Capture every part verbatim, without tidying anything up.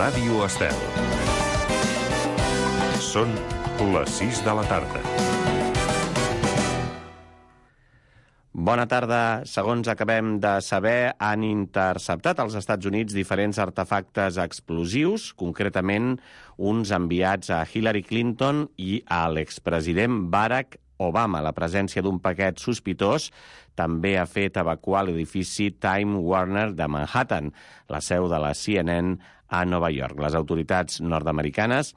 Ràdio Estel. Són les sis de la tarda. Bona tarda. Segons acabem de saber, han interceptat als Estats Units diferents artefactes explosius, concretament uns enviats a Hillary Clinton i a l'expresident Barack Obama. La presència d'un paquet sospitós també ha fet evacuar l'edifici Time Warner de Manhattan, la seu de la C N N a Nova York. Les autoritats nord-americanes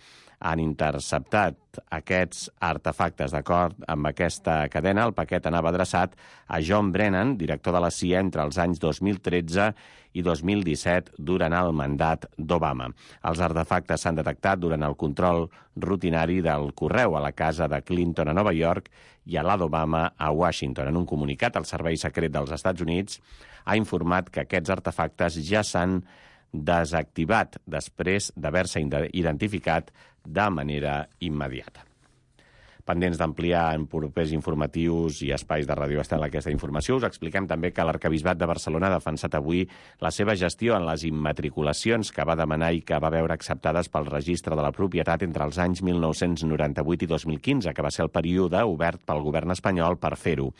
han interceptat aquests artefactes. D'acord amb aquesta cadena, el paquet anava adreçat a John Brennan, director de la C I A entre els anys dos mil tretze i dos mil disset, durant el mandat d'Obama. Els artefactes s'han detectat durant el control rutinari del correu a la casa de Clinton a Nova York i a la d'Obama a Washington. En un comunicat, el Servei Secret dels Estats Units ha informat que aquests artefactes ja s'han desactivat després d'haver-se identificat de manera immediata. Pendents d'ampliar en propers informatius i espais de Ràdio Estel aquesta informació, us expliquem també que l'Arquebisbat de Barcelona ha defensat avui la seva gestió en les immatriculacions que va demanar i que va veure acceptades pel Registre de la Propietat entre els anys mil nou-cents noranta-vuit i dos mil quinze, que va ser el període obert pel govern espanyol per fer-ho.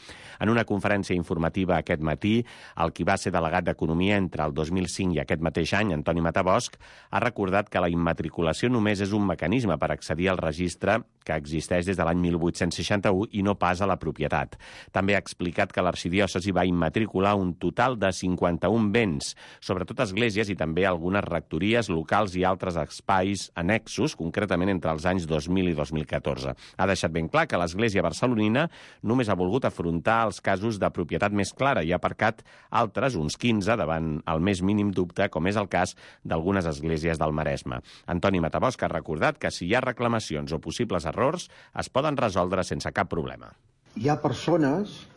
En una conferència informativa aquest matí, el qui va ser delegat d'Economia entre el dos mil cinc i aquest mateix any, Antoni Matabosch, ha recordat que la immatriculació només és un mecanisme per accedir al registre que existeix des de l'any mil vuit-cents seixanta-u i no pas a la propietat. També ha explicat que l'arxidiòcesi va immatricular un total de cinquanta-un béns, sobretot esglésies i també algunes rectories locals i altres espais annexos, concretament entre els anys dos mil i dos mil catorze. Ha deixat ben clar que l'Església barcelonina només ha volgut afrontar els casos de propietat més clara i ha aparcat altres, uns quinze, davant el més mínim dubte, com és el cas d'algunes esglésies del Maresme. Antoni Matabosch ha recordat que si hi ha reclamacions o possibles errors, es poden resoldre sense cap problema. Hi ha persones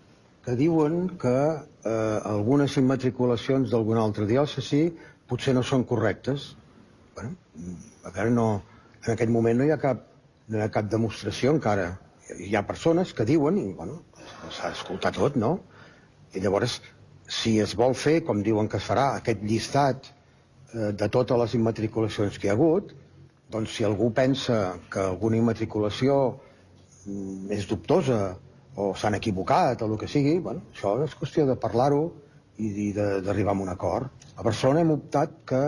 que diuen que eh, algunes immatriculacions d'alguna altra diòcesi potser no són correctes. Bueno, a veure, no, en aquest moment no hi ha cap, no hi ha cap demostració encara. Hi ha persones que diuen, i bueno, s'ha d'escoltar tot, no? I llavors, si es vol fer, com diuen que es farà, aquest llistat eh, de totes les immatriculacions que hi ha hagut, doncs si algú pensa que alguna immatriculació és dubtosa o s'han equivocat o el que sigui, bueno, això és qüestió de parlar-ho i d'arribar a un acord. A Barcelona hem optat que,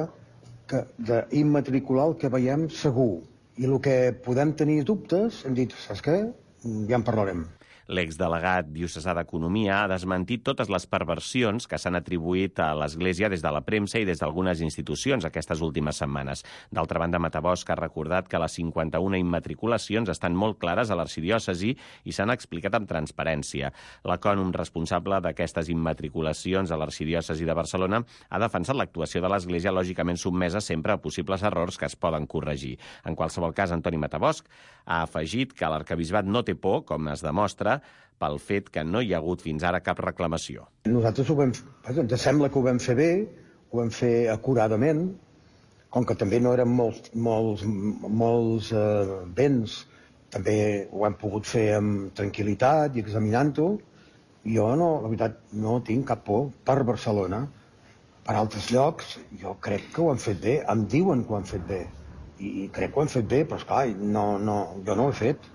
que d'immatricular el que veiem segur, i el que podem tenir dubtes hem dit, saps què? Ja en parlarem. L'exdelegat diocesà d'Economia ha desmentit totes les perversions que s'han atribuït a l'Església des de la premsa i des d'algunes institucions aquestes últimes setmanes. D'altra banda, Matabosch ha recordat que les cinquanta-una immatriculacions estan molt clares a l'arxidiòcesi i s'han explicat amb transparència. L'ecònom responsable d'aquestes immatriculacions a l'arxidiòcesi de Barcelona ha defensat l'actuació de l'Església, lògicament sotmesa sempre a possibles errors que es poden corregir. En qualsevol cas, Antoni Matabosch ha afegit que l'arquebisbat no té por, com es demostra, pel fet que no hi ha hagut fins ara cap reclamació. Nosaltres ho vam, ens sembla que ho vam fer bé, ho vam fer acuradament, com que també no eren molts, molts, molts eh, béns, també ho hem pogut fer amb tranquil·litat i examinant-ho. Jo, no, la veritat, no tinc cap por per Barcelona. Per altres llocs, jo crec que ho han fet bé, em diuen que ho han fet bé, i crec que ho han fet bé, però esclar, no, no, jo no ho he fet.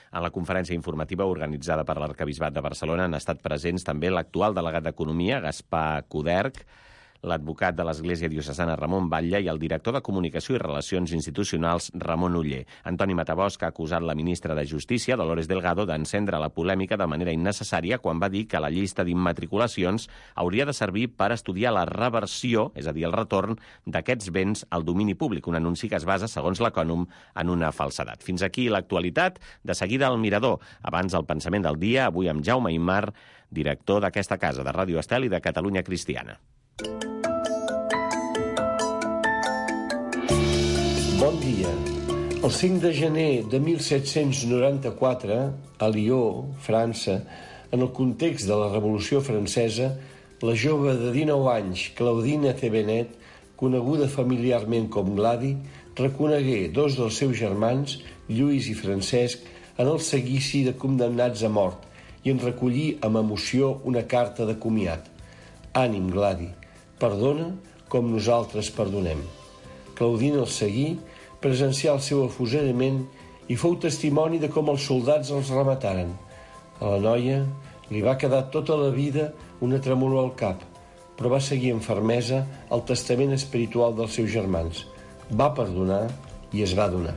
En la conferència informativa organitzada per l'Arquebisbat de Barcelona han estat presents també l'actual delegat d'Economia, Gaspar Coderch, l'advocat de l'Església Diocesana Ramon Batlle i el director de Comunicació i Relacions Institucionals Ramon Oller. Antoni Matabosch ha acusat la ministra de Justícia, Dolores Delgado, d'encendre la polèmica de manera innecessària quan va dir que la llista d'immatriculacions hauria de servir per estudiar la reversió, és a dir, el retorn d'aquests béns al domini públic, un anunci que es basa, segons l'Ecònom, en una falsedat. Fins aquí l'actualitat. De seguida al Mirador. Abans el pensament del dia, avui amb Jaume Aymar, director d'aquesta casa de Ràdio Estel i de Catalunya Cristiana. Bon dia. El cinc de gener de mil set-cents noranta-quatre, a Lió, França, en el context de la Revolució Francesa, la jove de dinou anys, Claudine Thévenet, coneguda familiarment com Gladi, reconegué dos dels seus germans, Lluís i Francesc, en el seguici de condemnats a mort i en recollí amb emoció una carta de comiat. Ànim, Gladi, perdona com nosaltres perdonem. Claudina el seguí, presencià el seu afusellament i fou testimoni de com els soldats els remataren. A la noia li va quedar tota la vida una tremolor al cap, però va seguir amb fermesa el testament espiritual dels seus germans. Va perdonar i es va donar.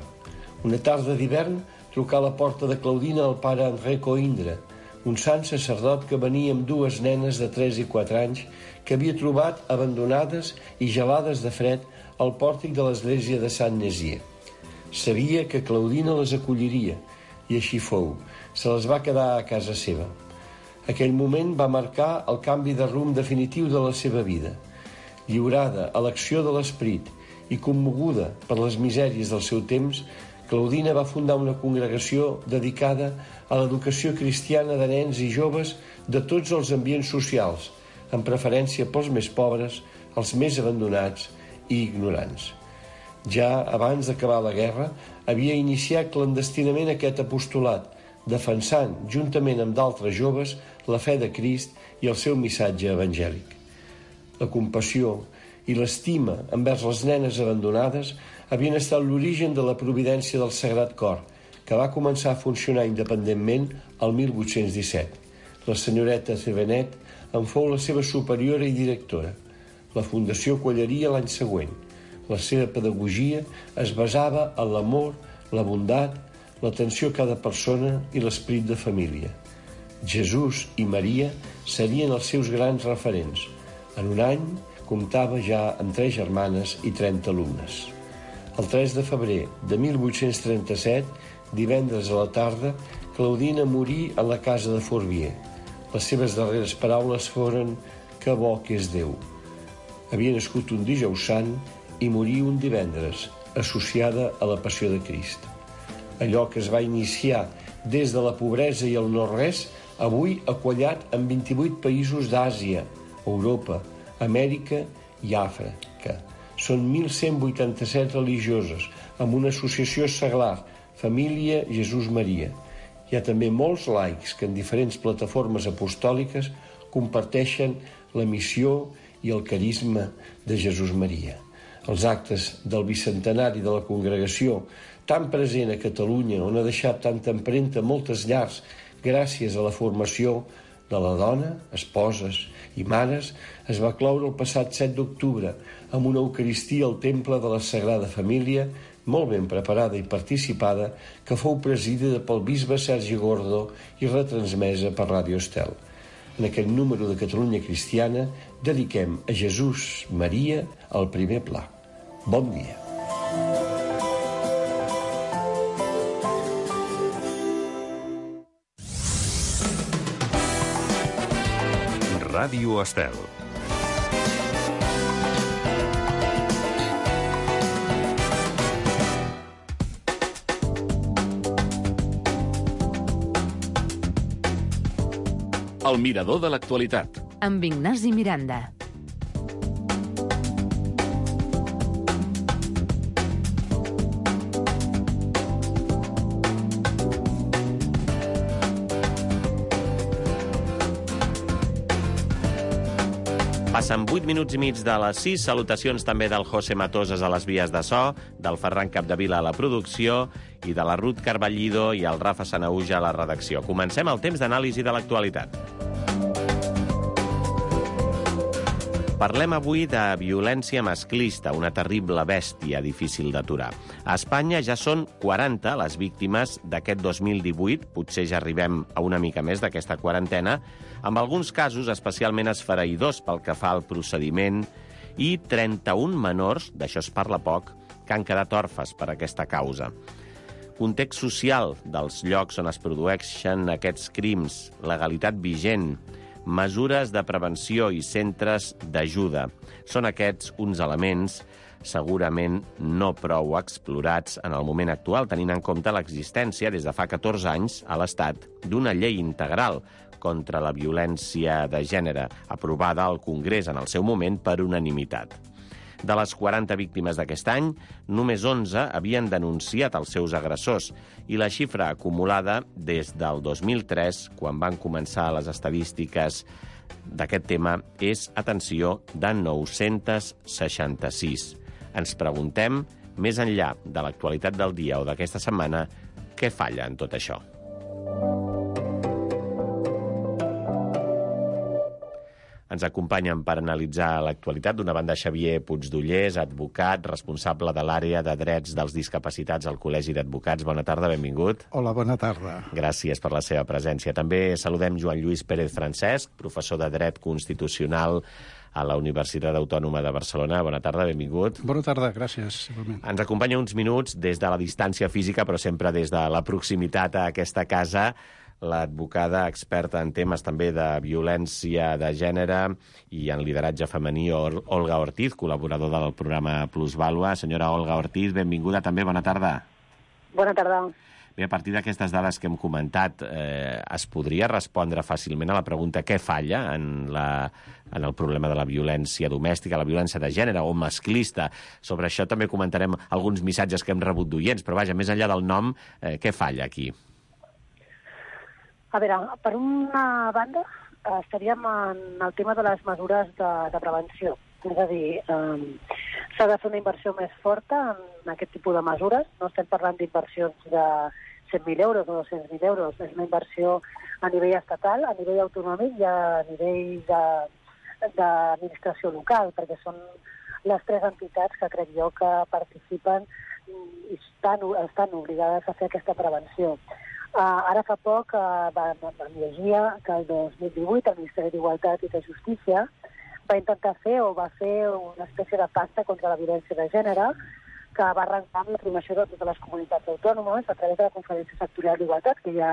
Una tarda d'hivern trucà a la porta de Claudina el pare André Coindre, un sant sacerdot que venia amb dues nenes de tres i quatre anys que havia trobat abandonades i gelades de fred al pòrtic de l'església de Saint-Nézier. Sabia que Claudina les acolliria i així fou. Se les va quedar a casa seva. Aquell moment va marcar el canvi de rumb definitiu de la seva vida. Lliurada a l'acció de l'esperit i commoguda per les misèries del seu temps, Claudina va fundar una congregació dedicada a l'educació cristiana de nens i joves de tots els ambients socials, amb preferència pels més pobres, els més abandonats i ignorants. Ja abans d'acabar la guerra, havia iniciat clandestinament aquest apostolat, defensant, juntament amb d'altres joves, la fe de Crist i el seu missatge evangèlic. La compassió i l'estima envers les nenes abandonades havien estat l'origen de la providència del Sagrat Cor, que va començar a funcionar independentment el mil vuit-cents disset. La senyoreta Cevenet en fou la seva superiora i directora. La fundació quallaria l'any següent. La seva pedagogia es basava en l'amor, la bondat, l'atenció a cada persona i l'esperit de família. Jesús i Maria serien els seus grans referents. En un any comptava ja amb tres germanes i trenta alumnes. El tres de febrer de mil vuit-cents trenta-set, divendres a la tarda, Claudina morí a la casa de Fourvier. Les seves darreres paraules foren «Que bo que és Déu». Havia nascut un dijous sant i morí un divendres, associada a la passió de Crist. Allò que es va iniciar des de la pobresa i el no-res, avui ha quallat en vint-i-vuit països d'Àsia, Europa, Amèrica i Àfrica. Són mil cent vuitanta-set religioses, amb una associació seglar, Família Jesús Maria. Hi ha també molts laics que en diferents plataformes apostòliques comparteixen la missió i el carisma de Jesús Maria. Els actes del bicentenari de la congregació, tan present a Catalunya, on ha deixat tanta empremta moltes llars gràcies a la formació de la dona, esposes i mares, es va cloure el passat set d'octubre amb una eucaristia al Temple de la Sagrada Família, molt ben preparada i participada, que fou presidida pel bisbe Sergi Gordo i retransmesa per Ràdio Estel. En aquest número de Catalunya Cristiana dediquem a Jesús Maria el primer pla. Bon dia. Ràdio Estel. El mirador de l'actualitat. Amb Ignasi Miranda. Passen vuit minuts i mig de les sis. Salutacions també del José Matoses a les vies de so, del Ferran Capdevila a la producció i de la Ruth Carballido i el Rafa Sanauja a la redacció. Comencem el temps d'anàlisi de l'actualitat. Parlem avui de violència masclista, una terrible bèstia difícil d'aturar. A Espanya ja són quaranta les víctimes d'aquest dos mil divuit, potser ja arribem a una mica més d'aquesta quarantena, amb alguns casos especialment esfereïdors pel que fa al procediment, i trenta-un menors, d'això es parla poc, que han quedat orfes per aquesta causa. Context social dels llocs on es produeixen aquests crims, legalitat vigent, mesures de prevenció i centres d'ajuda. Són aquests uns elements segurament no prou explorats en el moment actual, tenint en compte l'existència des de fa catorze anys a l'Estat d'una llei integral contra la violència de gènere, aprovada al Congrés en el seu moment per unanimitat. De les quaranta víctimes d'aquest any, només onze havien denunciat els seus agressors i la xifra acumulada des del dos mil tres, quan van començar les estadístiques d'aquest tema, és, atenció, de nou-cents seixanta-sis. ens preguntem, més enllà de l'actualitat del dia o d'aquesta setmana, què falla en tot això? Ens acompanyen per analitzar l'actualitat d'una banda Xavier Puigdollers, advocat, responsable de l'àrea de drets dels discapacitats al Col·legi d'Advocats. Bona tarda, benvingut. Hola, bona tarda. Gràcies per la seva presència. També saludem Joan Lluís Pérez Francesc, professor de Dret Constitucional a la Universitat Autònoma de Barcelona. Bona tarda, benvingut. Bona tarda, gràcies. Igualment. Ens acompanya uns minuts des de la distància física, però sempre des de la proximitat a aquesta casa, l'advocada experta en temes també de violència de gènere i en lideratge femení, Olga Ortiz, col·laboradora del programa Plusvàlua. Senyora Olga Ortiz, benvinguda també, bona tarda. Bona tarda. Bé, a partir d'aquestes dades que hem comentat, eh, es podria respondre fàcilment a la pregunta què falla en, la, en el problema de la violència domèstica, la violència de gènere o masclista. Sobre això també comentarem alguns missatges que hem rebut d'oients, però vaja, més enllà del nom, eh, què falla aquí? A veure, per una banda, estaríem en el tema de les mesures de, de prevenció. És a dir, eh, s'ha de fer una inversió més forta en aquest tipus de mesures. No estem parlant d'inversions de cent mil euros o dos-cents mil euros. És una inversió a nivell estatal, a nivell autonòmic i a nivell d'administració local, perquè són les tres entitats que crec jo que participen i estan, estan obligades a fer aquesta prevenció. Uh, ara fa poc uh, vam, vam llegir que el dos mil divuit el Ministeri d'Igualtat i de Justícia va intentar fer o va fer una espècie de pacte contra la violència de gènere que va arrencar amb la formació de totes les comunitats autònomes a través de la Conferència Sectorial d'Igualtat que ja,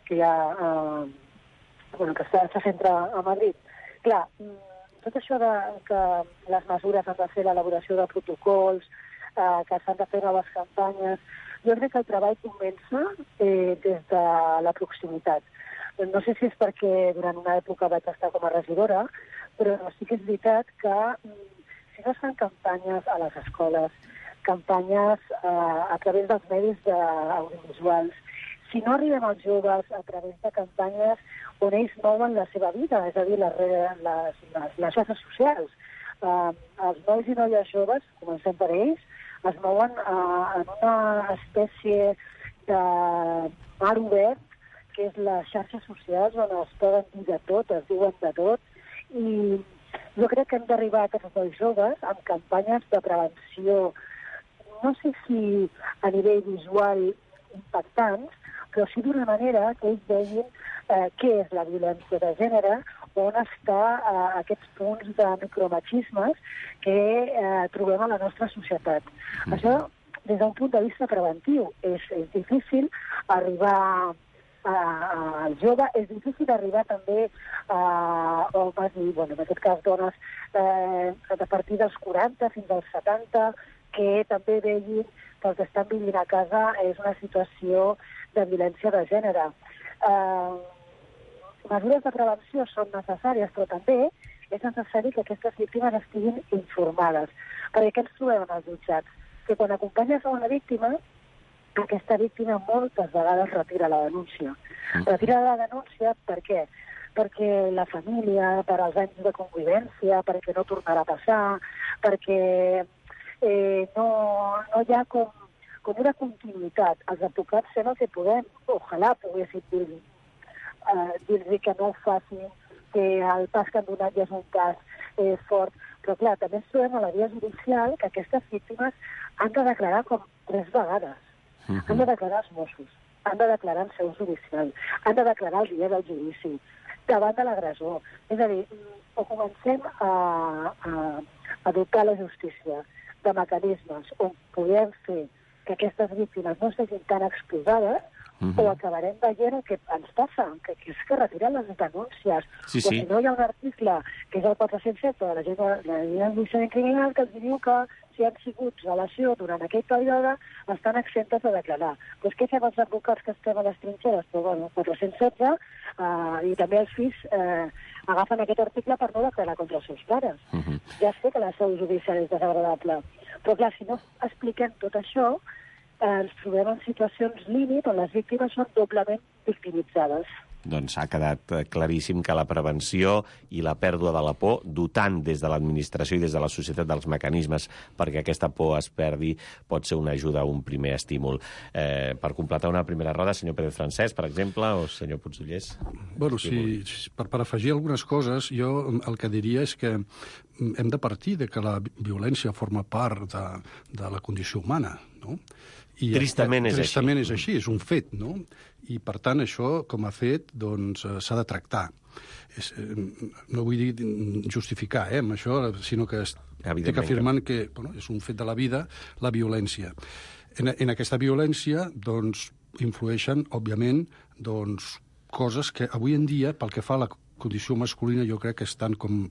que ja uh, bueno, que se centra a Madrid. Clar, tot això de que les mesures han de fer l'elaboració de protocols, uh, que s'han de fer noves campanyes. Jo crec que el treball comença eh, des de la proximitat. No sé si és perquè durant una època vaig estar com a regidora, però sí que és veritat que si no es fan campanyes a les escoles, campanyes eh, a través dels medis de, audiovisuals, si no arribem als joves a través de campanyes on ells mouen la seva vida, és a dir, les, les, les, les xarxes socials, eh, els nois i noies joves, comencem per ells, es mouen uh, en una espècie de mar obert, que és les xarxes socials, on es poden dir de tot, es diuen de tot, i jo crec que hem d'arribar a tots els joves amb campanyes de prevenció, no sé si a nivell visual impactants, però sí d'una manera que ells vegin eh, què és la violència de gènere, on està eh, aquests punts de micromachismes que eh, trobem a la nostra societat. Mm. Això, des d'un punt de vista preventiu, és, és difícil arribar al jove, és difícil arribar també a homes i, bueno, en aquest cas dones, eh, a partir dels quaranta fins als setanta, que també vegin que el que estan vivint a casa és una situació de violència de gènere. Eh, mesures de prevenció són necessàries, però també és necessari que aquestes víctimes estiguin informades. Perquè què ens trobem en els jutjats? Que quan acompanyes a una víctima, aquesta víctima moltes vegades retira la denúncia. Retira la denúncia per què? Perquè la família, per als anys de convivència, perquè no tornarà a passar, perquè eh, no, no hi ha com, com una continuïtat. Els advocats fem el que podem. Ojalà poguéssim dir Uh, dir-li que no ho facin, que el pas que han donat ja és un pas eh, fort. Però clar, també ens trobem a la via judicial que aquestes víctimes han de declarar com tres vegades. Uh-huh. Han de declarar els Mossos, han de declarar en seu judicial, han de declarar el dia del judici, davant de l'agressor. És a dir, o comencem a, a, a dotar la justícia de mecanismes on podem fer que aquestes víctimes no siguin tan exposades, Uh -huh. o acabarem veient el que ens passa, que, que és que retiren les denúncies. Sí, o sí. si no hi ha un article, que és el quatre-cents set de la llei d'enjudiciament criminal, que els diu que si han sigut relació durant aquell període estan exemptes de declarar. Doncs què fem els advocats que estem a les trinxeres? Però, bueno, quatre-cents setze, eh, i també els fills eh, agafen aquest article per no declarar contra els seus pares. Uh -huh. Ja sé que la seu judicial és desagradable, però clar, si no expliquem tot això, ens trobem en situacions límit on les víctimes són doblement victimitzades. doncs ha quedat claríssim que la prevenció i la pèrdua de la por, dotant des de l'administració i des de la societat dels mecanismes perquè aquesta por es perdi, pot ser una ajuda, un primer estímul. Eh, per completar una primera roda, senyor Pérez Francesc, per exemple, o senyor Puigdollers? Bueno, sí, per, per afegir algunes coses, jo el que diria és que hem de partir de que la violència forma part de, de la condició humana, no? I tristament és tristament així. és així, és un fet, no? I, per tant, això, com a fet, doncs, s'ha de tractar. És, no vull dir justificar, eh, amb això, sinó que estic afirmant que bueno, és un fet de la vida, la violència. En, en aquesta violència, doncs, influeixen, òbviament, doncs, coses que avui en dia, pel que fa a la condició masculina, jo crec que estan com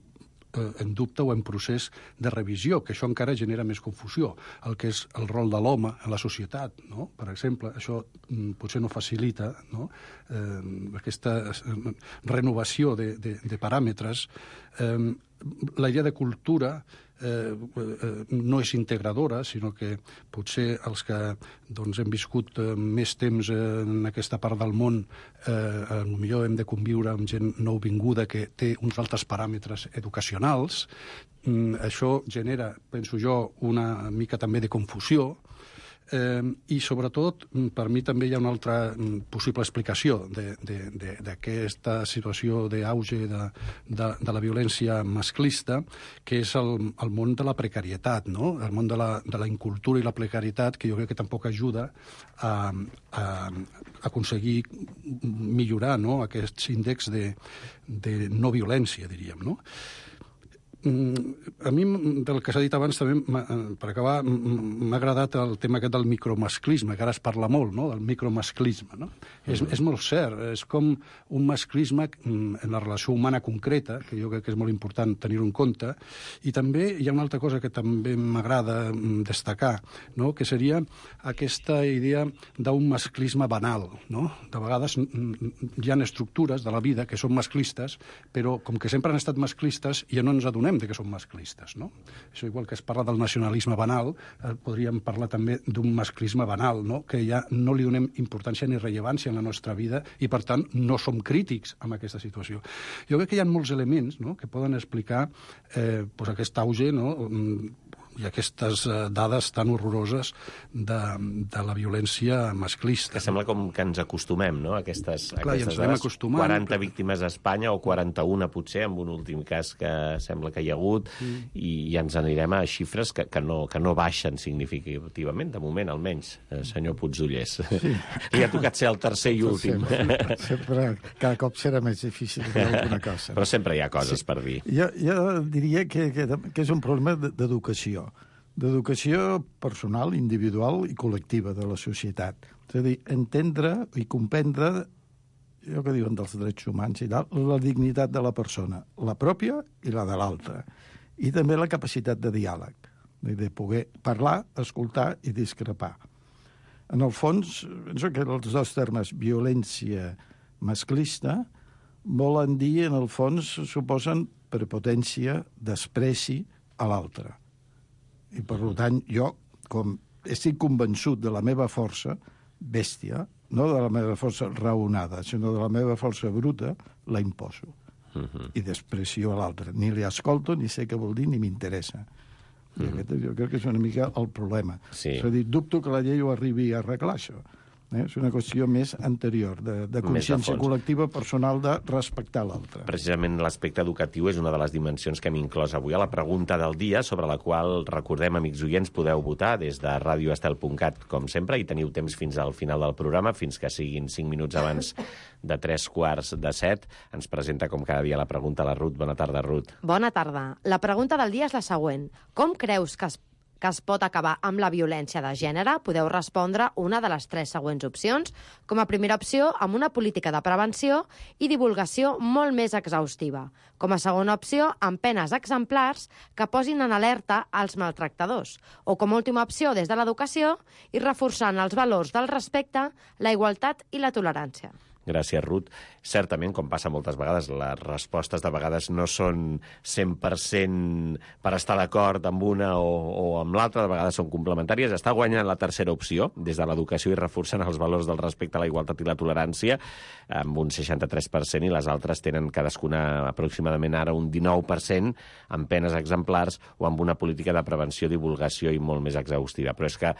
en dubte o en procés de revisió, que això encara genera més confusió. El que és el rol de l'home en la societat, no? Per exemple, això potser no facilita, no? Eh, aquesta renovació de, de, de paràmetres. Eh, la idea de cultura eh, eh, no és integradora, sinó que potser els que doncs, hem viscut eh, més temps eh, en aquesta part del món eh, potser hem de conviure amb gent nouvinguda que té uns altres paràmetres educacionals. Mm, això genera, penso jo, una mica també de confusió. Eh, I, sobretot, per mi també hi ha una altra possible explicació d'aquesta situació d'auge de, de, de la violència masclista, que és el, el món de la precarietat, no? El món de la, de la incultura i la precarietat, que jo crec que tampoc ajuda a, a, a aconseguir millorar, no? Aquests índexs de, de no violència, diríem, no? A mi, del que s'ha dit abans, també, per acabar, m'ha agradat el tema aquest del micromasclisme, que ara es parla molt, no?, del micromasclisme, no? Mm. És, és molt cert, és com un masclisme en la relació humana concreta, que jo crec que és molt important tenir-ho en compte, i també hi ha una altra cosa que també m'agrada destacar, no?, que seria aquesta idea d'un masclisme banal, no? De vegades hi ha estructures de la vida que són masclistes, però com que sempre han estat masclistes ja no ens adonem de que són masclistes, no? Això, igual que es parla del nacionalisme banal, eh, podríem parlar també d'un masclisme banal, no? Que ja no li donem importància ni rellevància en la nostra vida i, per tant, no som crítics amb aquesta situació. Jo crec que hi ha molts elements, no?, que poden explicar eh, pues aquest auge, no?, i aquestes dades tan horroroses de, de la violència masclista. Que sembla com que ens acostumem, no?, a aquestes, Clar, aquestes ja dades. quaranta però... víctimes a Espanya, o quaranta-una potser, amb un últim cas que sembla que hi ha hagut, mm. i ja ens anirem a xifres que, que, no, que no baixen significativament, de moment, almenys, eh, senyor Puigdollers. Sí. Li ha tocat ser el tercer i últim. Sempre, sempre, cada cop serà més difícil dir alguna cosa. Però sempre hi ha coses sí. per dir. Jo, jo diria que, que, que és un problema d'educació. d'educació personal, individual i col·lectiva de la societat. És a dir, entendre i comprendre, allò que diuen dels drets humans i tal, la dignitat de la persona, la pròpia i la de l'altra. I també la capacitat de diàleg, de poder parlar, escoltar i discrepar. En el fons, penso que els dos termes violència masclista volen dir, en el fons, suposen prepotència, despreci a l'altre. I, per tant, jo, com estic convençut de la meva força bèstia, no de la meva força raonada, sinó de la meva força bruta, la imposo. Uh-huh. I desprecio a l'altre. Ni li escolto, ni sé què vol dir, ni m'interessa. Uh-huh. I aquest, jo crec que és una mica el problema. Sí. És a dir, dubto que la llei ho arribi a arreglar, això. Eh? És una qüestió més anterior, de, de consciència col·lectiva personal de respectar l'altre. Precisament l'aspecte educatiu és una de les dimensions que hem inclòs avui a la pregunta del dia, sobre la qual, recordem, amics oients, podeu votar des de radio estel punt cat, com sempre, i teniu temps fins al final del programa, fins que siguin cinc minuts abans de tres quarts de set. Ens presenta, com cada dia, la pregunta la Ruth. Bona tarda, Ruth. Bona tarda. La pregunta del dia és la següent. Com creus que es que es pot acabar amb la violència de gènere? Podeu respondre una de les tres següents opcions. Com a primera opció, amb una política de prevenció i divulgació molt més exhaustiva. Com a segona opció, amb penes exemplars que posin en alerta als maltractadors. O com a última opció, des de l'educació i reforçant els valors del respecte, la igualtat i la tolerància. Gràcies, Ruth. Certament, com passa moltes vegades, les respostes de vegades no són cent per cent per estar d'acord amb una o, o amb l'altra, de vegades són complementàries. Està guanyant la tercera opció, des de l'educació i reforçant els valors del respecte a la igualtat i la tolerància, amb un seixanta-tres per cent, i les altres tenen cadascuna aproximadament ara un dinou per cent, amb penes exemplars o amb una política de prevenció, divulgació i molt més exhaustiva. Però és que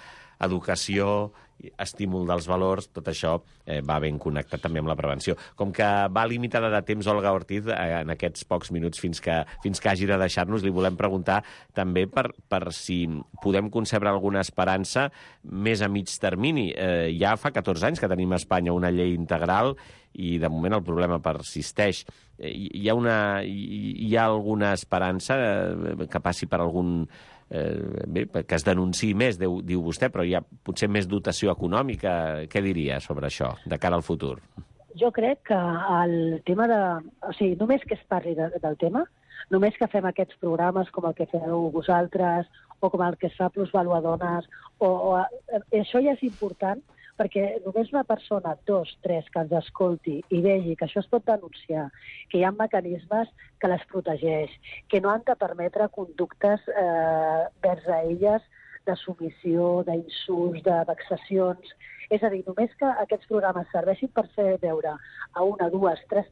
educació, estímul dels valors, tot això eh, va ben connectat també amb la prevenció. Com que va limitada de temps, Olga Ortiz, eh, en aquests pocs minuts fins que, fins que hagi de deixar-nos, li volem preguntar també per, per si podem concebre alguna esperança més a mig termini. Eh, ja fa catorze anys que tenim a Espanya una llei integral i de moment el problema persisteix. Eh, hi, ha una, hi, hi ha alguna esperança eh, que passi per algun... Eh, bé, que es denunciï més, diu, diu vostè, però hi ha potser més dotació econòmica. Què diria sobre això, de cara al futur? Jo crec que el tema de... O sigui, només que es parli de, del tema, només que fem aquests programes com el que feu vosaltres o com el que es fa Plusvaluadones, o, o, això ja és important, perquè només una persona, dos, tres, que ens escolti i vegi que això es pot denunciar, que hi ha mecanismes que les protegeix, que no han de permetre conductes eh, vers a elles de submissió, d'insults, de vexacions. És a dir, només que aquests programes serveixin per fer veure a una, dues, tres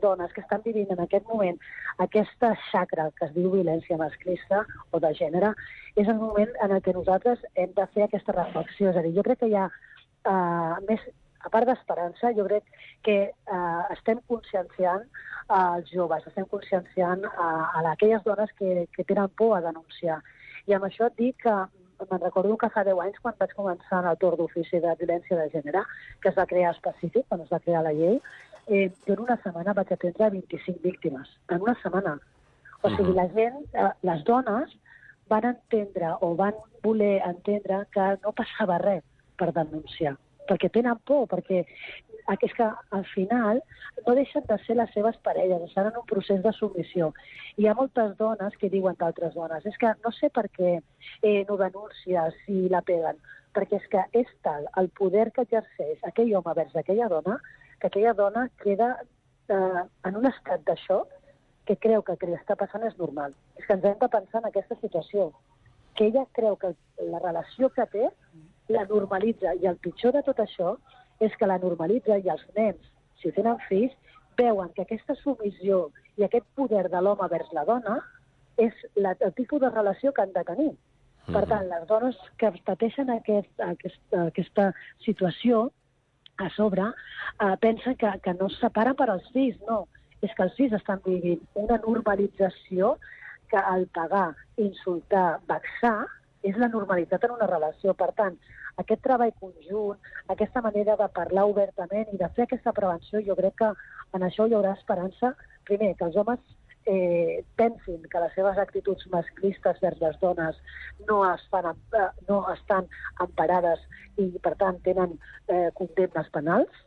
dones que estan vivint en aquest moment aquesta xacra que es diu violència masclista o de gènere, és el moment en el que nosaltres hem de fer aquesta reflexió. És a dir, jo crec que hi ha Uh, més, a part d'esperança, jo crec que uh, estem conscienciant uh, els joves, estem conscienciant uh, a aquelles dones que, que tenen por a denunciar. I amb això et dic que me'n recordo que fa deu anys, quan vaig començar en el torn d'ofici de violència de gènere, que es va crear específic, quan es va crear la llei, eh, jo en una setmana vaig atendre vint-i-cinc víctimes. En una setmana. O sigui, la gent, uh, les dones van entendre o van voler entendre que no passava res per denunciar, perquè tenen por, perquè és que al final no deixen de ser les seves parelles, estan en un procés de submissió. Hi ha moltes dones que diuen d'altres dones, és que no sé per què eh, no denuncia si la peguen, perquè és que és tal el poder que exerceix aquell home vers aquella dona, que aquella dona queda eh, en un estat de xoc que creu que el que està passant és normal. És que ens hem de pensar en aquesta situació, que ella creu que la relació que té la normalitza, i el pitjor de tot això és que la normalitza i els nens, si tenen fills, veuen que aquesta submissió i aquest poder de l'home vers la dona és la, el tipus de relació que han de tenir. Mm. Per tant, les dones que pateixen aquest, aquest, aquesta situació a sobre eh, pensen que, que no es separen per als fills, no. És que els fills estan vivint una normalització que al pagar, insultar, vexar, és la normalitat en una relació. Per tant, aquest treball conjunt, aquesta manera de parlar obertament i de fer aquesta prevenció, jo crec que en això hi haurà esperança. Primer, que els homes eh, pensin que les seves actituds masclistes vers les dones no, es fan, eh, no estan emparades i, per tant, tenen eh, condemnes penals.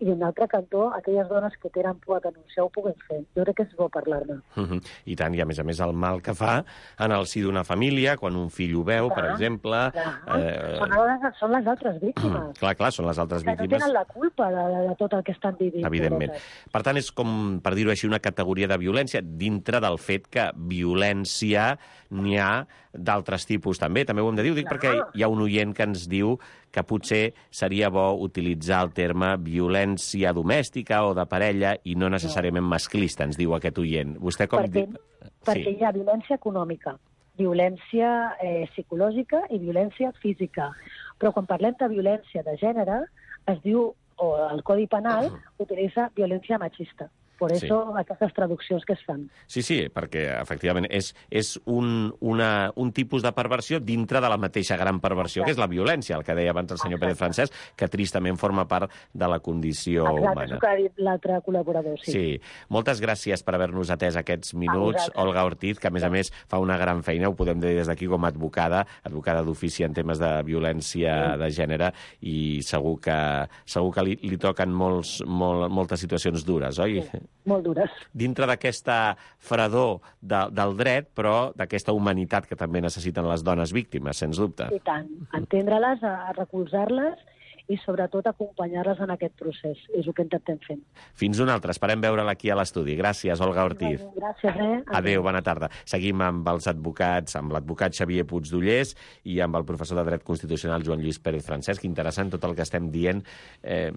I en l'altre cantó, aquelles dones que tenen por a denunciar ho puguin fer. Jo crec que és bo parlar-ne. Uh -huh. I tant, i a més a més el mal que fa en el si d'una família, quan un fill ho veu, clar, per exemple... Clar. Eh... Són, les, són les altres víctimes. clar, clar, són les altres que víctimes. No tenen la culpa de, de tot el que estan vivint. Evidentment. Per tant, és com, per dir-ho així, una categoria de violència dintre del fet que violència n'hi ha d'altres tipus també. També ho hem de dir, ho dic clar, perquè hi ha un oient que ens diu que potser seria bo utilitzar el terme violència domèstica o de parella i no necessàriament masclista, ens diu aquest oient. Vostè com perquè, diu? Perquè sí. Hi ha violència econòmica, violència eh, psicològica i violència física. Però quan parlem de violència de gènere, es diu, o el Codi Penal utilitza violència machista. Per això sí. Aquestes traduccions que es fan. Sí, sí, perquè efectivament és, és un, una, un tipus de perversió dintre de la mateixa gran perversió, Exacte. Que és la violència, el que deia abans el senyor Exacte. Pérez Francesc, que tristament forma part de la condició Exacte, humana. Exacte, és el que ha dit l'altre col·laborador, sí. Sí, moltes gràcies per haver-nos atès aquests minuts, Olga Ortiz, que a més a més fa una gran feina, ho podem dir des d'aquí com a advocada, advocada d'ofici en temes de violència sí. de gènere, i segur que, segur que li, li toquen molts, molt, moltes situacions dures, oi? Sí. Molt dures. Dintre d'aquesta fredor de, del dret, però d'aquesta humanitat que també necessiten les dones víctimes, sens dubte. I tant. Entendre-les, a recolzar-les i sobretot acompanyar-les en aquest procés. És el que intentem fer. Fins una altra. Esperem veure-la aquí a l'estudi. Gràcies, Olga Ortiz. Gràcies, eh? Adéu, bona tarda. Seguim amb els advocats, amb l'advocat Xavier Puigdollers i amb el professor de Dret Constitucional Joan Lluís Pérez Francesc. Interessant tot el que estem dient. Eh,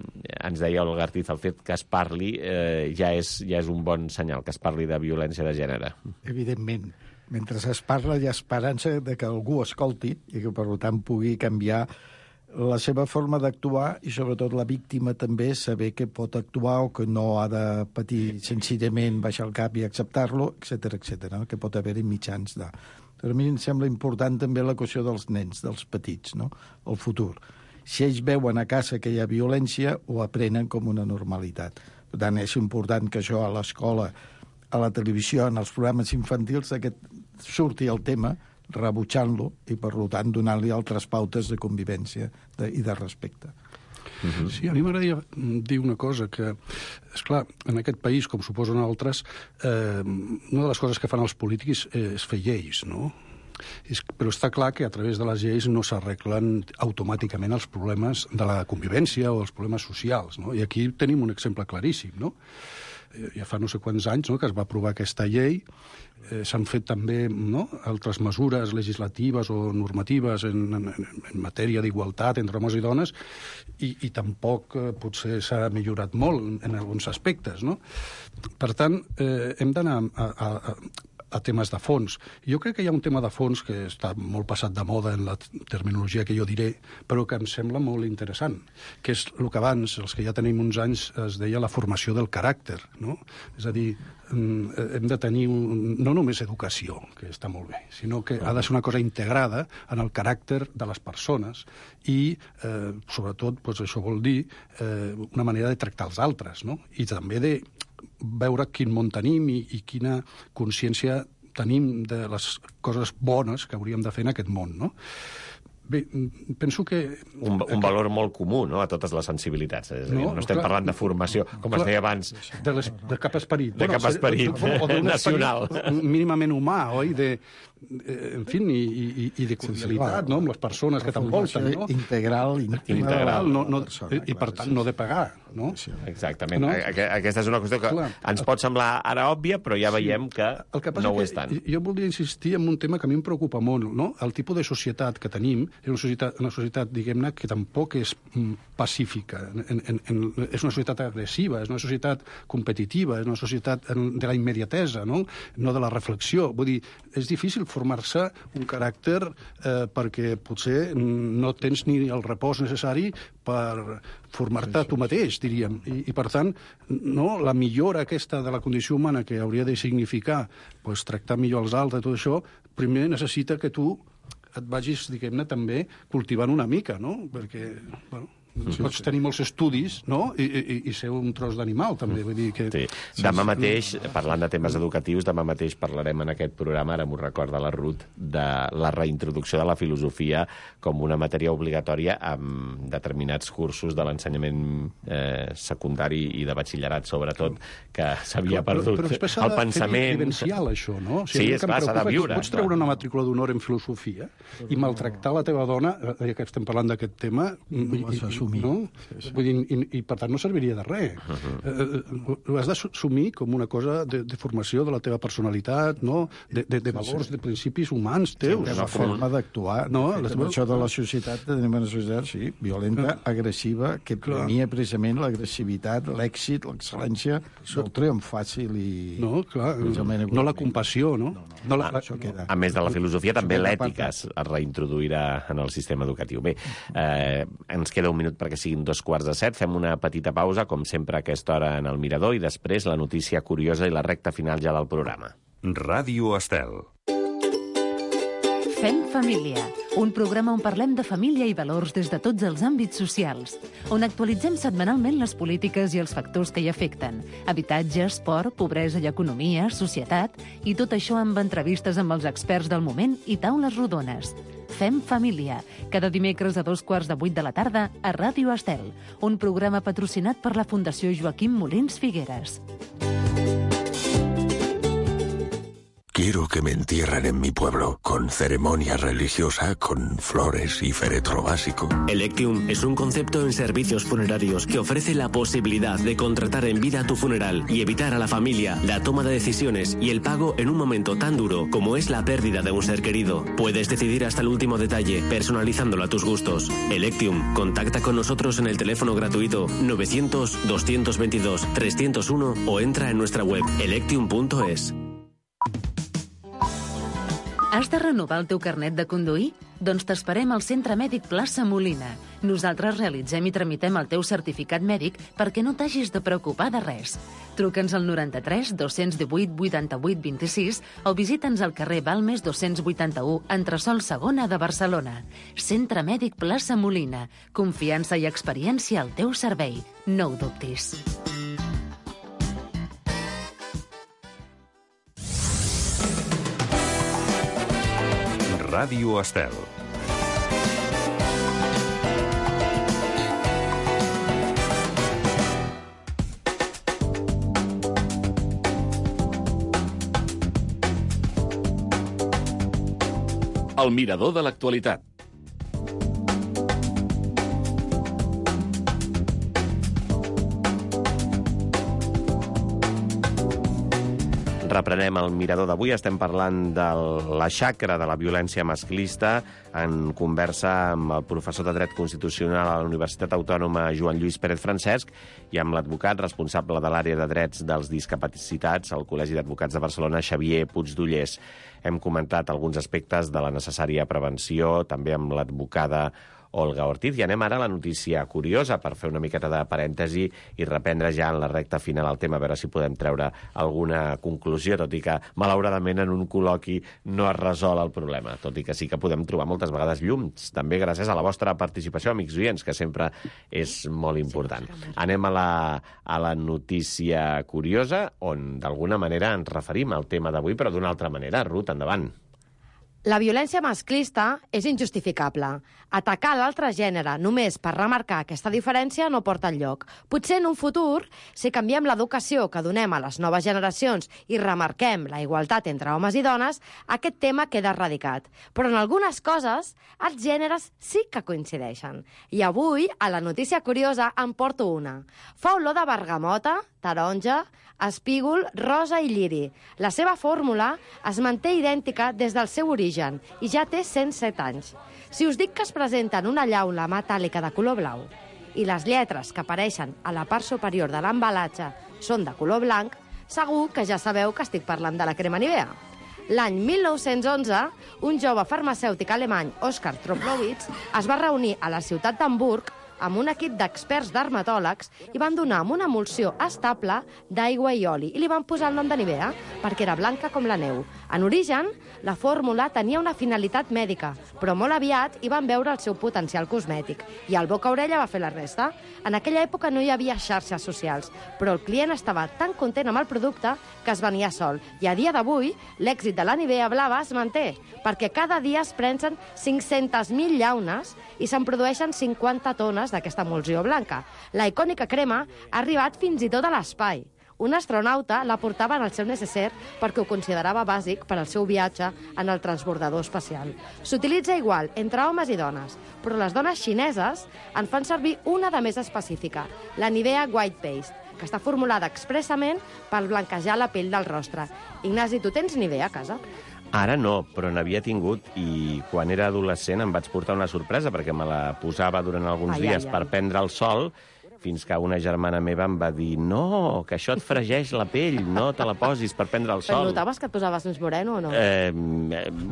ens deia Olga Ortiz, el fet que es parli eh, ja, és, ja és un bon senyal, que es parli de violència de gènere. Evidentment. Mentre es parla hi ha esperança de que algú escolti i que, per tant, pugui canviar la seva forma d'actuar i, sobretot, la víctima també saber que pot actuar o que no ha de patir senzillament baixar el cap i acceptar-lo, etcètera, etcètera, no? Que pot haver-hi mitjans de... Per mi em sembla important també la qüestió dels nens, dels petits, no? El futur. Si ells veuen a casa que hi ha violència, ho aprenen com una normalitat. Per tant, és important que això a l'escola, a la televisió, en els programes infantils, aquest surti el tema, rebutjant-lo i, per tant, donant-li altres pautes de convivència de, i de respecte. Uh-huh. Sí, a mi m'agradaria dir una cosa, que, esclar, en aquest país, com suposen altres, eh, una de les coses que fan els polítics és fer lleis, no? És, però està clar que a través de les lleis no s'arreglen automàticament els problemes de la convivència o els problemes socials, no? I aquí tenim un exemple claríssim, no? Ja fa no sé quants anys, no?, que es va aprovar aquesta llei. Eh, s'han fet també, no?, altres mesures legislatives o normatives en, en, en matèria d'igualtat entre homes i dones i, i tampoc eh, potser s'ha millorat molt en, en alguns aspectes, no? Per tant, eh, hem d'anar a, a, a a temes de fons. Jo crec que hi ha un tema de fons que està molt passat de moda en la terminologia que jo diré, però que em sembla molt interessant, que és el que abans, els que ja tenim uns anys, es deia la formació del caràcter, no? És a dir, hem de tenir un, no només educació, que està molt bé, sinó que ha de ser una cosa integrada en el caràcter de les persones i, eh, sobretot, doncs això vol dir eh, una manera de tractar els altres, no? I també de veure quin món tenim i, i quina consciència tenim de les coses bones que hauríem de fer en aquest món, no? Bé, penso que... Un, un valor molt comú, no?, a totes les sensibilitats. És a dir, no, no estem clar, parlant de formació, com clar, es deia abans. De, les, de cap esperit. De bueno, cap esperit o, o, o nacional. Esperit mínimament humà, oi? De, en fi, i, i, i de cordialitat, no?, amb les persones que t'envolten, no? Integral, integral. No, no, i, i, per tant, no de pagar, no? Exactament. No? Aquesta és una qüestió que clar, ens pot semblar ara òbvia, però ja veiem que, el que no ho és tant. Jo voldria insistir en un tema que a mi em preocupa molt, no? El tipus de societat que tenim és una societat, una societat diguem-ne, que tampoc és mm, pacífica. En, en, en, és una societat agressiva, és una societat competitiva, és una societat de la immediatesa, no? No de la reflexió. Vull dir, és difícil formar-se un caràcter eh, perquè potser no tens ni el repòs necessari per formar-te tu mateix, diríem. I, i per tant, no, la millora aquesta de la condició humana que hauria de significar pues, tractar millor els altres i tot això, primer necessita que tu et vagis, diguem-ne, també cultivant una mica, no? Perquè, bueno, sí, pots sí. tenir molts estudis, no?, I, i, i ser un tros d'animal, també. Vull dir que... Sí. Demà mateix, parlant de temes educatius, demà mateix parlarem en aquest programa, ara m'ho recorda la Ruth, de la reintroducció de la filosofia com una matèria obligatòria amb determinats cursos de l'ensenyament eh, secundari i de batxillerat, sobretot, que s'havia perdut però, però el pensament... Però vivencial, això, no? O sigui, sí, és clar, s'ha de viure. Pots treure una matrícula d'honor en filosofia i maltractar la teva dona, ja que estem parlant d'aquest tema... No i, no? Sí, sí. Vull dir, i, i per tant no serviria de res. Uh-huh. eh, ho has d'assumir com una cosa de, de formació de la teva personalitat, no? de, de, de valors, sí, sí. de principis humans teus. Sí, una forma d'actuar. No? La situació de la societat, tenim una societat, sí, violenta, agressiva, que premia precisament l'agressivitat, l'èxit, l'excel·lència, el triomf fàcil i... No, clar, no la compassió, no? no, no. no la... a, a més de la filosofia, també l'ètica es reintroduirà en el sistema educatiu. Bé, eh, ens queda un minut perquè siguin dos quarts de set. Fem una petita pausa, com sempre a aquesta hora en el Mirador, i després la notícia curiosa i la recta final ja del programa. Ràdio Estel. Fem família, un programa on parlem de família i valors des de tots els àmbits socials, on actualitzem setmanalment les polítiques i els factors que hi afecten, habitatge, esport, pobresa i economia, societat, i tot això amb entrevistes amb els experts del moment i taules rodones. Fem família, cada dimecres a dos quarts de vuit de la tarda a Ràdio Estel, un programa patrocinat per la Fundació Joaquim Molins Figueres. quiero que me entierren en mi pueblo, con ceremonia religiosa, con flores y féretro básico. Electium es un concepto en servicios funerarios que ofrece la posibilidad de contratar en vida tu funeral y evitar a la familia la toma de decisiones y el pago en un momento tan duro como es la pérdida de un ser querido. Puedes decidir hasta el último detalle, personalizándolo a tus gustos. Electium, contacta con nosotros en el teléfono gratuito novecientos, doscientos veintidós, trescientos uno o entra en nuestra web electium punto es. Has de renovar el teu carnet de conduir? Doncs t'esperem al Centre Mèdic Plaça Molina. Nosaltres realitzem i tramitem el teu certificat mèdic perquè no t'hagis de preocupar de res. Truca'ns al noranta-tres dos-cents divuit vuitanta-vuit vint-i-sis o visita'ns al carrer Balmes dos-cents vuitanta-u, entresòl segona de Barcelona. Centre Mèdic Plaça Molina. Confiança i experiència al teu servei. No ho dubtis. Ràdio Estel. El mirador de l'actualitat. Reprenem el mirador d'avui. Estem parlant de la xacra de la violència masclista en conversa amb el professor de Dret Constitucional a la Universitat Autònoma Joan Lluís Pérez Francesc i amb l'advocat responsable de l'àrea de drets dels discapacitats al Col·legi d'Advocats de Barcelona, Xavier Puigdollers. Hem comentat alguns aspectes de la necessària prevenció, també amb l'advocada Olga Ortiz. I anem ara a la notícia curiosa per fer una miqueta de parèntesi i reprendre ja en la recta final el tema, a veure si podem treure alguna conclusió, tot i que, malauradament, en un col·loqui no es resol el problema, tot i que sí que podem trobar moltes vegades llums, també gràcies a la vostra participació, amics oients, que sempre és molt important. Anem a la, a la notícia curiosa, on d'alguna manera ens referim al tema d'avui, però d'una altra manera. Ruth, endavant. La violència masclista és injustificable. Atacar l'altre gènere només per remarcar aquesta diferència no porta enlloc. Potser en un futur, si canviem l'educació que donem a les noves generacions i remarquem la igualtat entre homes i dones, aquest tema queda erradicat. Però en algunes coses, els gèneres sí que coincideixen. I avui, a la notícia curiosa, en porto una. Fa olor de bergamota, taronja, espígol, rosa i lliri. La seva fórmula es manté idèntica des del seu origen i ja té cent set anys. Si us dic que es presenta en una llauna metàl·lica de color blau i les lletres que apareixen a la part superior de l'embalatge són de color blanc, segur que ja sabeu que estic parlant de la crema Nivea. L'any mil nou-cents onze, un jove farmacèutic alemany, Oskar Troplowitz, es va reunir a la ciutat d'Hamburg amb un equip d'experts dermatòlegs i van donar amb una emulsió estable d'aigua i oli i li van posar el nom de Nivea perquè era blanca com la neu. En origen, la fórmula tenia una finalitat mèdica, però molt aviat hi van veure el seu potencial cosmètic i el boca-orella va fer la resta. En aquella època no hi havia xarxes socials, però el client estava tan content amb el producte que es venia sol. I a dia d'avui, l'èxit de la Nivea blava es manté, perquè cada dia es prensen cinc-centes mil llaunes i se'n produeixen cinquanta tones d'aquesta emulsió blanca. La icònica crema ha arribat fins i tot a l'espai. Un astronauta la portava en el seu necessaire perquè ho considerava bàsic per al seu viatge en el transbordador espacial. S'utilitza igual entre homes i dones, però les dones xineses en fan servir una de més específica, la Nivea White Paste, que està formulada expressament per blanquejar la pell del rostre. Ignasi, tu tens Nivea a casa? Ara no, però n'havia tingut i quan era adolescent em vaig portar una sorpresa perquè me la posava durant alguns ai, dies ai, ai. per prendre el sol, fins que una germana meva em va dir no, que això et fregeix la pell, no te la posis per prendre el sol. Però notaves que et posaves més moreno o no? Eh,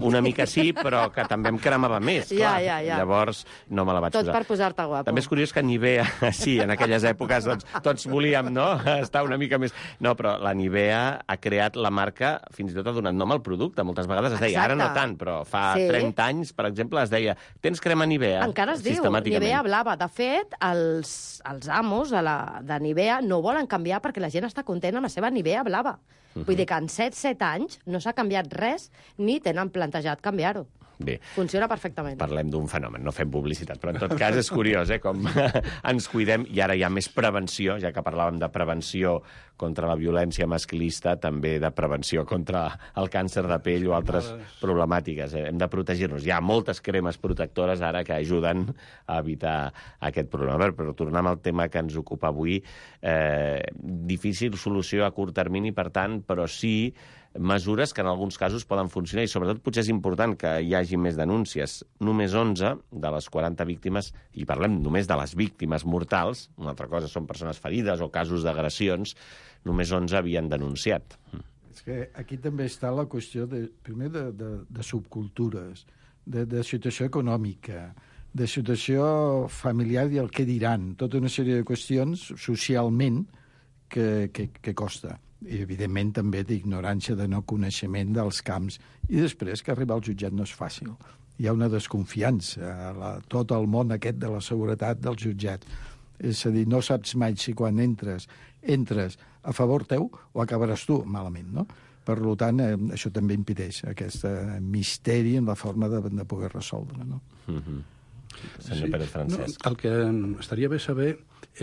una mica sí, però que també em cremava més, clar. Ja, ja, ja. Llavors no me la vaig Tot posar. Tot per posar-te guapo. També és curiós que Nivea, sí, en aquelles èpoques doncs, tots volíem, no?, estar una mica més... No, però la Nivea ha creat la marca, fins i tot ha donat nom al producte. Moltes vegades es deia, Exacte. Ara no tant, però fa sí. trenta anys, per exemple, es deia, tens crema Nivea? Encara es diu Nivea blava. De fet, els, els amos de, la, de Nivea no volen canviar perquè la gent està content amb la seva Nivea blava. Uh-huh. Vull dir que en set set anys no s'ha canviat res ni tenen plantejat canviar-ho. Bé. Funciona perfectament. Parlem d'un fenomen, no fem publicitat, però en tot cas és curiós, eh, com ens cuidem, i ara hi ha més prevenció, ja que parlàvem de prevenció contra la violència masclista, també de prevenció contra el càncer de pell o altres problemàtiques. Eh? Hem de protegir-nos. Hi ha moltes cremes protectores ara que ajuden a evitar aquest problema. Però, però tornem al tema que ens ocupa avui, eh, difícil solució a curt termini, per tant, però sí mesures que en alguns casos poden funcionar i sobretot potser és important que hi hagi més denúncies. Només onze de les quaranta víctimes, i parlem només de les víctimes mortals, una altra cosa són persones ferides o casos d'agressions, només onze havien denunciat. És que aquí també està la qüestió, de, primer, de, de, de subcultures, de, de situació econòmica, de situació familiar i el que diran, tota una sèrie de qüestions socialment que, que, que costa. I, evidentment, també d'ignorància, de no coneixement dels camps. I després, que arribar al jutjat no és fàcil. Hi ha una desconfiança a la, tot el món aquest de la seguretat del jutjat. És a dir, no saps mai si quan entres, entres a favor teu o acabaràs tu malament, no? Per tant, eh, això també impedeix aquest eh, misteri en la forma de, de poder resoldre, no? Mm-hmm. Senyor Pérez Francesc. No, el que estaria bé saber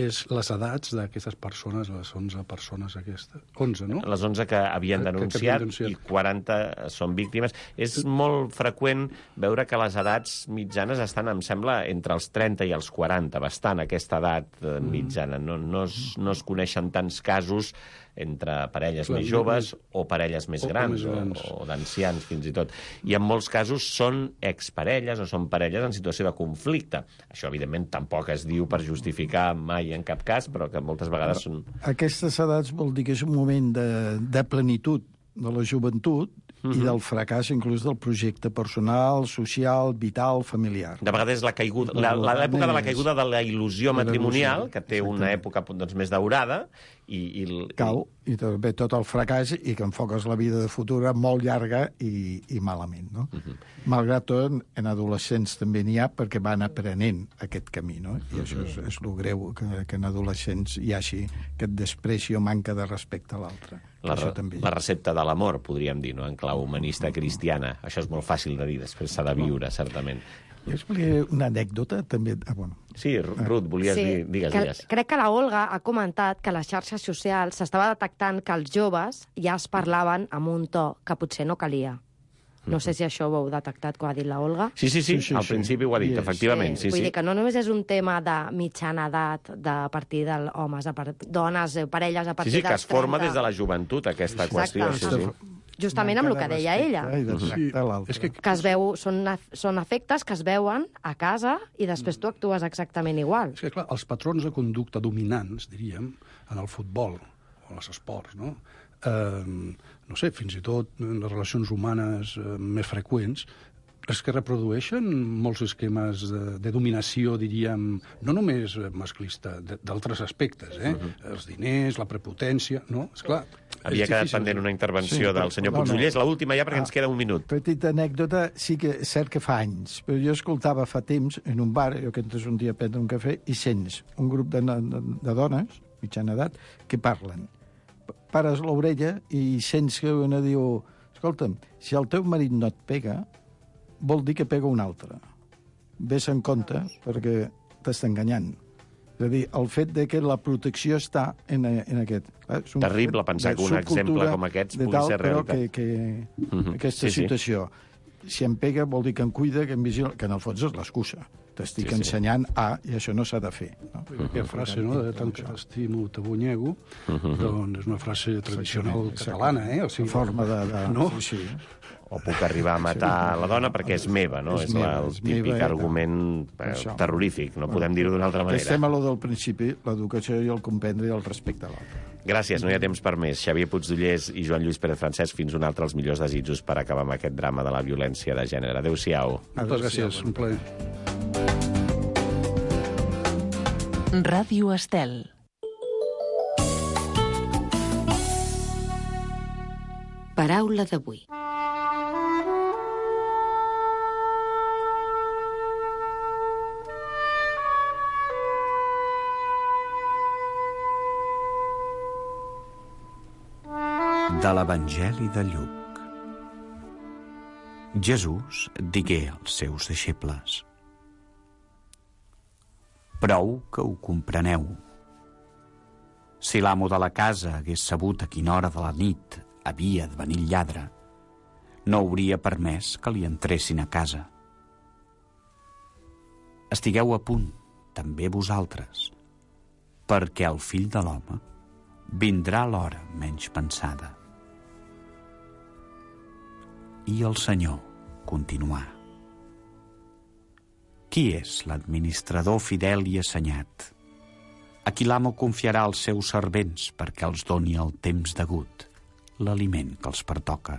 és les edats d'aquestes persones, les onze persones aquestes. onze, no? Les onze que havien denunciat, que, que havien denunciat i quaranta són víctimes. És molt freqüent veure que les edats mitjanes estan, em sembla, entre els trenta i els quaranta, bastant aquesta edat mitjana. No, no, es, no es coneixen tants casos entre parelles Clar, més joves més... o parelles més o grans, més grans. o, o d'ancians, fins i tot. I en molts casos són exparelles o són parelles en situació de conflicte. Això, evidentment, tampoc es diu per justificar mai en cap cas, però que moltes vegades són... Aquestes edats vol dir que és un moment de, de plenitud de la joventut mm-hmm. i del fracàs inclús del projecte personal, social, vital, familiar. De vegades la caiguda, l'època de la caiguda de la il·lusió matrimonial, que té una època doncs, més daurada, i, i... Cau, i també tot el fracàs i que enfoques la vida de futura molt llarga i, i malament, no? Uh-huh. Malgrat tot, en adolescents també n'hi ha perquè van aprenent aquest camí, no? I uh-huh. això és, és el greu, que, que en adolescents hi hagi aquest despreci o manca de respecte a l'altre. La, la recepta de l'amor, podríem dir, no? En clau humanista cristiana. Això és molt fàcil de dir, després s'ha de viure, certament. Jo explicaré una anècdota, també... Ah, bueno. Sí, Ruth, volies sí, dir... Digues, que, digues. Crec que la Olga ha comentat que a les xarxes socials s'estava detectant que els joves ja es parlaven amb un to que potser no calia. No sé si això ho heu detectat, quan ha dit la Olga. Sí, sí, sí, sí, sí al sí. principi ho ha dit, yes. efectivament. Sí, sí, Vull sí. dir que no només és un tema de mitjana edat, de partir d'homes, a part... dones, parelles a partir sí, sí, dels trenta. Sí, sí, que es forma des de la joventut, aquesta Exacte. qüestió. Sí, sí. Justament amb el que deia ella. Sí. És que... que es veu, són, són efectes que es veuen a casa i després tu actues exactament igual. És que, clar, els patrons de conducta dominants, diríem, en el futbol o en els esports, no? Eh, no sé, fins i tot en les relacions humanes eh, més freqüents, és que reprodueixen molts esquemes de, de dominació, diríem, no només masclista, d'altres aspectes, eh? Uh-huh. Els diners, la prepotència, no? Esclar, havia quedat pendent una intervenció sí, del senyor Puigdollers, no, no. l'última ja, perquè ah, ens queda un minut. Petita anècdota, sí que és cert que fa anys, però jo escoltava fa temps en un bar, jo que entres un dia a prendre un cafè, i sents un grup de, de, de dones, mitjana edat, que parlen. Pares l'orella i sents que una diu, escolta'm, si el teu marit no et pega, vol dir que pega un altre. Ves en compte, perquè t'està enganyant. És a dir, el fet de que la protecció està en, en aquest... És un terrible pensar que un exemple com aquest pugui tal, ser realitat. Però que, que mm-hmm. aquesta sí, situació, sí. si em pega vol dir que em cuida, que em vigila, que en el fons és l'excusa. T'estic sí, ensenyant sí. a, i això no s'ha de fer. No? Uh-huh. Aquella frase, no?, de tant que t'estimo, t'abunyego, uh-huh. doncs és una frase tradicional sí, catalana, eh? O sigui, forma de... de... No? Sí, sí. O puc arribar a matar la dona perquè és meva, no? És, és meva, la, el típic meva, argument eh, terrorífic, no podem dir-ho d'una altra manera. Estem a lo del principi, l'educació i el comprendre i el respecte a l'altre. Gràcies, no hi ha temps per més. Xavier Puigdollers i Joan Lluís Pérez Francesc, fins un altre, els millors desitjos per acabar amb aquest drama de la violència de gènere. Adéu-siau. Moltes gràcies, un plaer. Ràdio Estel. Paraula d'avui. De l'Evangeli de Lluc. Jesús digué als seus deixebles: «Prou que ho compreneu. Si l'amo de la casa hagués sabut a quina hora de la nit havia de venir el lladre, no hauria permès que li entressin a casa. Estigueu a punt, també vosaltres, perquè el fill de l'home vindrà a l'hora menys pensada». I el Senyor continuà: «Qui és l'administrador fidel i assenyat, a qui l'amo confiarà els seus servents perquè els doni el temps degut l'aliment que els pertoca?